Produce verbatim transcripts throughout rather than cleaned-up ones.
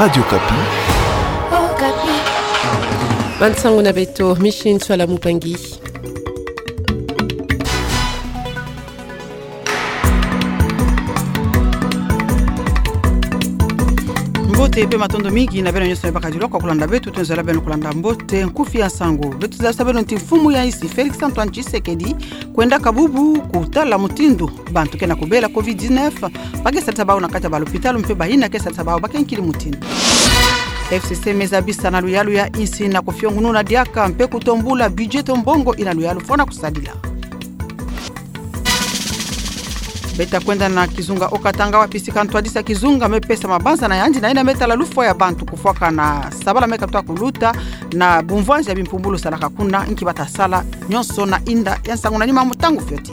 Radio Okapi. Bansango na beto, Micheline Ntsoila Mupangi. Mbote mpe matondo mingi na beno nyonso me baka diloko kulanda beto, twenzelaka beno kulanda mbote nkufi ya nsangu. Beto zaba beno ti mfumu ya insi Félix Antoine Tshisekedi kwendaka bubu kutala mutindu bantu ke na kubela covid dix-neuf ba ke sadisa bau na kati ya balopitalo mpe bayina ke sadisa bau ba ke nkili mutindu. F C C me zabisa na luyalu ya insi na kufiongununa diaka mpe kutombula budget to mbongo ina luyalu fwana kusadila. Beta kwenda na kizunga Haut-Katanga wapi sika ntwadisi ya kizunga me pesa mabanza na yandi na yina me tala lufwa ya bantu kufwakana sabala me katuka kuluta na bumvwanzi ya bimpumbulu salaka kuna, nki bata sala, nyonso na inda ya nsangu na nima mu ntangu fioti.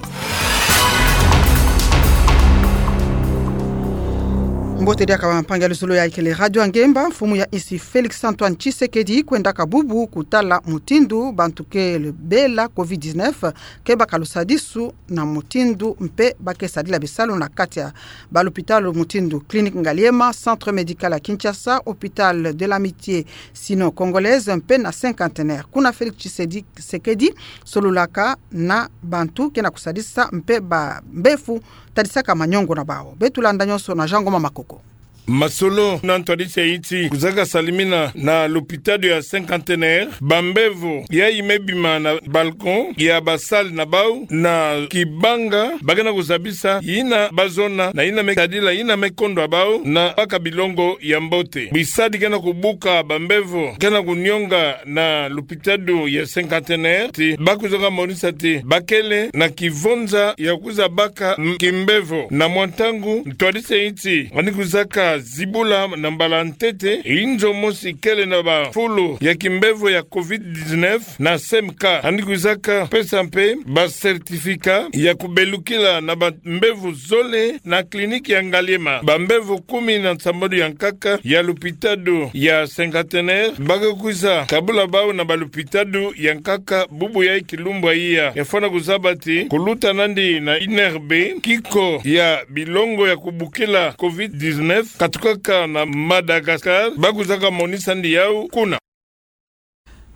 Mbote diaka bampangi ya luzolo ya ikele Radio Ngemba, mfumu ya insi Félix Antoine Tshisekedi kwendaka bubu kutala mutindu bantu ke bela covid dix-neuf ke baka lusadisu na mutindu mpe ba ke sadila bisalu na kati ya balopitalo mutindu Clinique Ngaliema, Centre Médical ya Kinshasa, Hôpital de l'Amitié Sino-Congolaise mpe na Cinquantenaire. Kuna Félix Tshisedi-, Tshisekedi sololaka na bantu ke na kusadisa mpe bambefu tadisaka maniongo na bau. Beto landa nyonso na Jean Ngoma Makoko. Masolo na ntwadisi ya insi kuzaka salimina na lopitalo ya Cinquantenaire, bambevo yayi me bima na balcon ya ba salle na bau na kibanga ba ke na kuzabisa yina ba zona na yina me tadila yina me kondwa bau na baka bilongo ya mbote. Bisadi ke na kubuka bambevo ke na kunionga na lopitalo ya Cinquantenaire ti ba kuzaka monisa ti ba kele na kivonza ya kwiza baka m-, kimbevo. Na mwa ntangu, ntwadisi ya insi yandi kwizaka zibula na mbala ntete inzo mosi kele na bafulu ya kimbevo ya covid dix-neuf na C M K. Yandi kwizaka pesa mpe ba certificat ya kubelukila na bambevo zole na clinique ya Ngaliema. Bambevo kumi na nsambanu ya nkaka ya lopitalo ya Cinquantenaire ba ke kwiza kabula bau na balopitalo ya nkaka bubu ya kilumbu ya iya. Ya fwana kuzaba ti kuluta nandi na I N R B, kiko ya bilongo ya kubukila covid dix-neuf katukaka na Madagascar, ba kwizaka monisa nde yau kuna.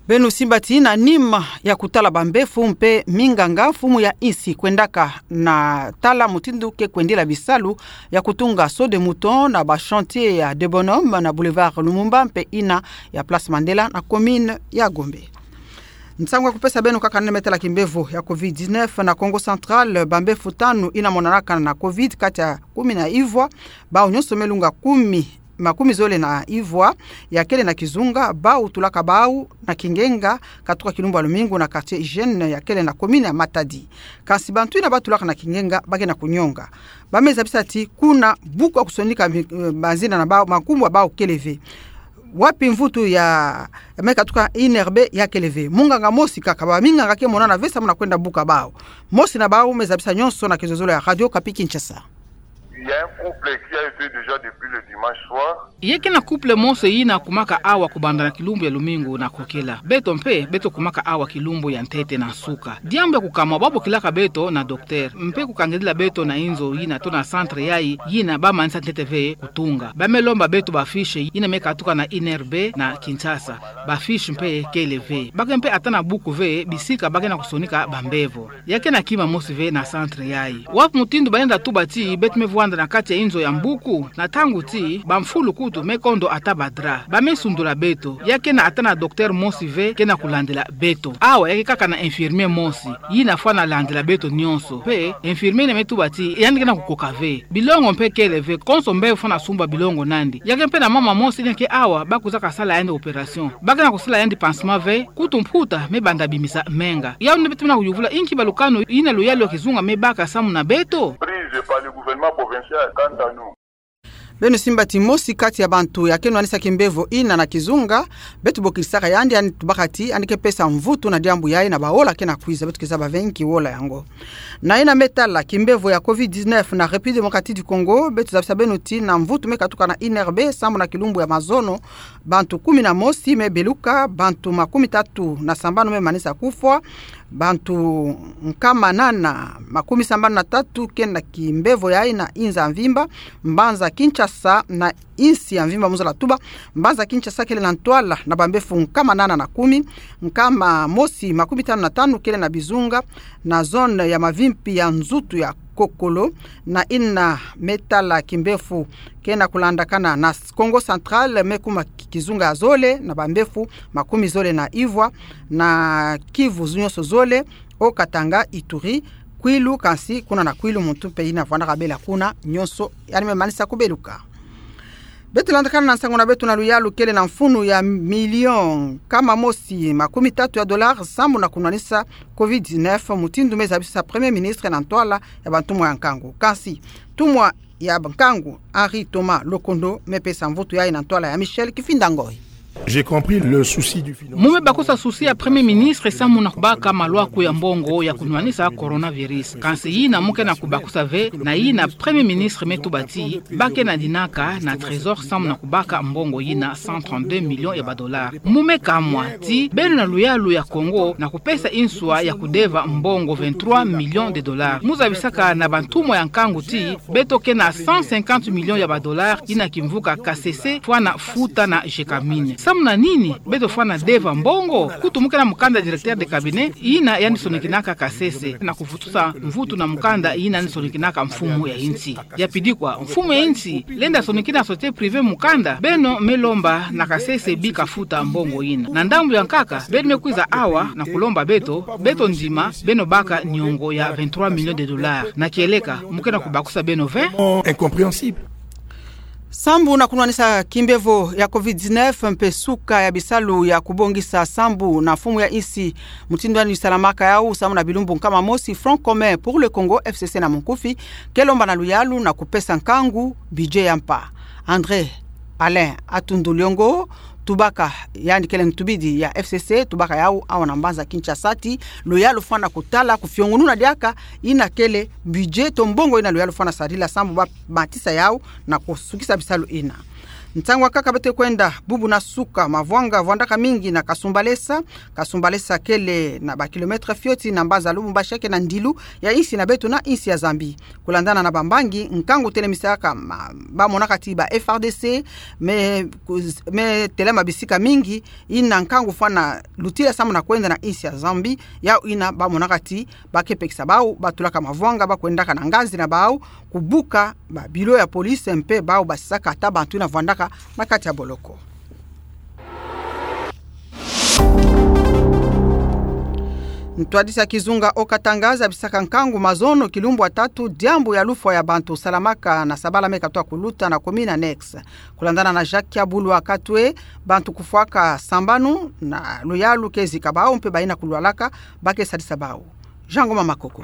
Beno simba ti na nima ya kutala bambefu mpe minganga, mfumu ya insi kwendaka na tala mutindu ke kwendila bisalu ya kutunga Saut des Moutons na ba chantier ya Deux Bonhommes na boulevard Lumumba mpe yina ya Place Mandela na commune ya Gombe. Nsangu ya kupesa beno kaka na yina me tala kimbevo ya covid dix-neuf na Kongo Central, bambefu tanu yina monanaka na covid kati ya kumi na ivwa, bau nyonso me lunga kumi, makumi zole na ivwa ya kele na kizunga, bau tulaka bau na kingenga katuka kilumbu ya lumingu na quartier hygiène ya kele na commune ya Matadi. Kansi bantu yina ba tulaka na kingenga ba ke na kunionga. Ba me zabisa ti kuna buku ya kusonika mi-, eh, mazina na bau, makumbu ya bau kele ve. Wapi mvutu ya, ya me katuka I N R B ya kele ve? Munganga mosi kaka, baminganga ke monana ve samu na kwenda buka bau. Mosi na bau me zabisa nyonso na kizololo ya Radio Okapi Kinshasa. Il y a un couple qui a été déjà depuis le dimanche soir. Ya ke na couple mosi yina kumaka awa kubanda na kilumbu ya lumingu na kukila. Beto mpe, beto kumaka awa kilumbu ya ntete na nsuka. Diambu ya kukamwa, ba bokilaka beto na docteur, mpe kukangidila beto na inzo yina to na centre yayi, yina ba manisa ntete ve kutunga. Ba me lomba beto ba fiche yina me katuka na I N R B na Kinshasa. Ba fiche mpe kele ve. Ba ke mpe ata na buku ve, bisika ba ke na kusonika bambevo. Ya ke na kima mosi ve na centre yayi. Wapi mutindu ba lenda tuba ti beto me vwanda na kati ya inzo ya mbuku, na ntangu ti bamfulu kutu me kondo ata ba drap, ba me sundula beto. Ya ke na ata na docteur mosi ve ke na kulandila beto. Awa ya ke kaka na infirmier mosi yina fwana landila beto nyonso. Mpe infirmier yina me tuba ti yandi ke na kukoka ve. Bilongo mpe kele ve, konso mbevo fwana sumba bilongo nandi. Ya ke mpe na mama mosi yina ke awa, ba kwizaka sala yandi opération. Ba ke na kusala yandi pansement ve, kutu mputa me banda bimisa menga. Yau nde beto me na kuyuvula, inki balukanu yina luyalu ya kizunga me baka samu na beto? Prise par le gouvernement provincial, quant à nous. Beno simba ti mosi kati ya bantu ya ke nwanisa kimbevo yina na kizunga, beto bokilisaka yandi, yandi tubaka ti yandi ke pesa mvutu na diambu yayi na baola ke na kwiza, beto ke zaba ve nki ola yango. Na yina me tala kimbevo ya covid dix-neuf na République Démocratique du Congo, beto zabisa beno ti na mvutu me katuka na I N R B, sambu na kilumbu ya mazono, bantu kumi na mosi me beluka, bantu makumi tatu na sambanu me manisa kufwa, Bantu nkama nana makumi sambanu na tatu ke na kimbevo yayi na inza mvimba, mbanza Kinshasa na insi ya mvimba mu zola tuba, mbanza Kinshasa kele na ntwala na bambefu nkama nana na kumi, nkama mosi makumi tanu na tanu kele na bizunga, na zone ya mavimpi ya nzutu ya kokolo, na ina me tala kimbefu ke na kulandakana na Kongo Central, me kuma ki-, kizunga ya zole, na bambefu makumi zole na ivwa, na Kivu zu-, nyonso zole, Haut-Katanga, Ituri, Kwilu, kansi kuna na Kwilu muntu mpe ina vwandaka bela kuna nyonso, yandi me manisa kubeluka. Beto landakana na nsangu na beto na luyalu kele na mfunu ya million nkama mosi makumi tatu ya dollars sambu na kunwanisa covid dix-neuf, mutindu me zabisa Premier Ministre na ntwala ya bantumwa ya nkangu. Kansi, ntumwa ya nkangu, Henri Thomas Lokondo, me pesa mvutu yayi na ntwala ya Michel Kifinda Ngoi. J'ai compris le souci du financement. Mu me bakusa souci ya Premier Ministre samu na kubaka malwaku ya mbongo ya kunwanisa coronavirus. Kansi yina mu ke na kubakusa ve, na yina Premier Ministre me tuba ti, ba ke na dinaka na trésor samu na kubaka mbongo yina cent trente-deux millions ya ba dollars. Mu me kamwa ti, beno na luyalu ya Kongo na kupesa inswa ya kudeva mbongo vingt-trois millions de dollars. Mu zabisaka na bantumwa ya nkangu ti, beto ke na cent cinquante millions ya ba dollars yina kimvuka kasese fwana futa na Gécamines. Samu na nini beto fwana deva mbongo? Kutu mu ke na mukanda directeur de cabinet yina yandi sonikinaka kasese na kuvutusa mvutu na mukanda yina yandi sonikinaka mfumu ya insi. Ya pidikwa, mfumu ya insi lenda sonikina société privée mukanda, beno me lomba na kasese bika futa mbongo yina. Na ndambu ya nkaka, beno me kwiza awa na kulomba beto, beto ndima, beno baka niongo ya vingt-trois millions de dollars. Na kieleka, mu ke na kubakusa beno ve? Oh, incompréhensible. Sambu na kunwanisa kimbevo ya covid dix-neuf mpe suka ya bisalu ya kubongisa sambu na mfumu ya insi, mutindu yandi salamaka yawu samu na bilumbu nkama mosi, Front Commun pour le Congo, F C C na munkufi, ke lomba na luyalu na kupesa nkangu budget ya mpa. André Alain Atundu Liongo, tubaka, yandi kele ntubidi ya F C C, tubaka yawu awa na mbanza Kinshasa ti, luyalu fwana kutala, kufiongununa diaka yina kele budget to mbongo yina luyalu fwana sarila sambu ba matisa yawu na kusukisa bisalu yina. Ntangu wakaka beto kwenda bubu na suka, mavwanga vwandaka mingi na Kasumbalesa. Kasumbalesa kele na ba kilomètre fioti na mbanza Lubumbashi, ke na ndilu ya insi na beto na insi ya Zambie. Kulandana na bambangi, nkangu telemisaka ma-, bamonaka ti ba F A R D C me kuz-, me telama bisika mingi, yina nkangu fwana lutila samu na kwenda na insi ya Zambie, yawu yina bamonaka ti ba ke pekisa bawu, ba tulaka mavwanga, ba kwendaka na ngazi na bawu, kubuka ba bureau ya police mpe bawu basisaka ata bantu yina vwandaka na kati ya boloko. Ntwadisi ya kizunga Haut-Katanga zabisaka nkangu mazono kilumbu ya tatu diambu ya lufwa ya bantu salamaka na sabala me katoa kuluta na commune annexe. Kulandana na Jacques Kiabulu Akatwe, bantu kufwaka sambanu na luyalu ke zika bawu mpe bayina kulwalaka, ba ke sadisa bawu. Jean Ngoma Makoko.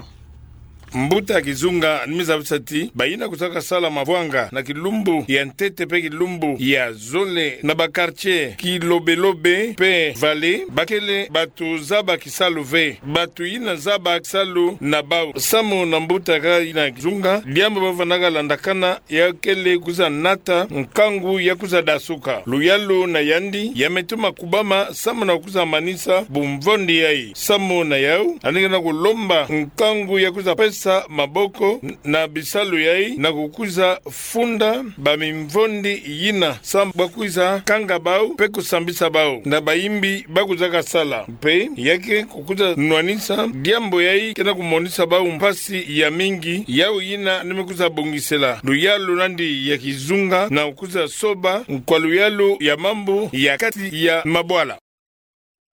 Mbuta kizunga yandi me zabisa ti bayina kuzaka sala mavwanga na kilumbu ya ntete mpe kilumbu ya zole na ba quartier Kilobelobe mpe Vallée, ba kele bantu zaba kisalu ve. Bantu yina zaba kisalu na bawu. Samu na mbuta kayina kizunga, diambu ba vandaka landakana ya kele kwiza nata nkangu ya kwiza dasuka. Luyalu na yandi ya me tuma kubama samu na kwiza manisa bumvondi yayi. Samu na yawu, yandi ke na kulomba nkangu ya kwiza pesa maboko na bisalu yayi na kukwiza funda bamimvondi yina samu ba kwiza kanga bawu mpe kusambisa bawu na bayimbi ba kuzaka sala. Mpe ya ke kukwiza nwanisa diambu yayi ke na kumonisa bawu mpasi ya mingi, yawu yina yandi me kwiza bongisela luyalu na yandi ya kizunga na kwiza soba nkwa luyalu ya mambu ya kati ya mabwala.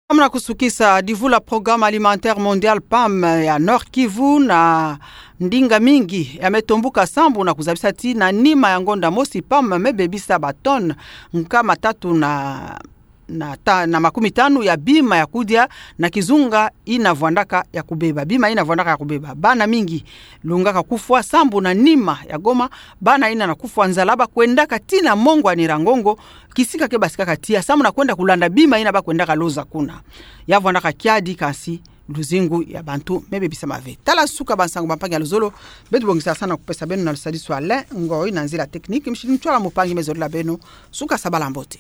Samu na kusukisa, divula Programme Alimentaire Mondial, pam, ya Nord-Kivu na ndinga mingi ya me tombuka sambu na kuzabisa ti na nima ya ngonda mosi pam me bebisa ba tonnes nkama tatu na na ta-, na makumi tanu ya bima ya kudia na kizunga yina vwandaka ya kubeba. Bima yina vwandaka ya kubeba. Bana mingi lungaka kufwa sambu na nima ya Goma, bana yina na kufwa nzala ba kwendaka tii na mongo ya Nyiragongo, kisika ke basikaka tiya, samu na kwenda kulanda bima yina ba kwendaka loza kuna. Ya vwandaka kiadi, kansi luzingu ya bantu me bebisama ve. Tala suka bansangu bampangi ya luzolo, beto bongisa sana kupesa beno na lusadisu ya Alain Ngoi, na nzila technique, Micheline Ntwala Mupangi me zolela beno suka sabala mbote.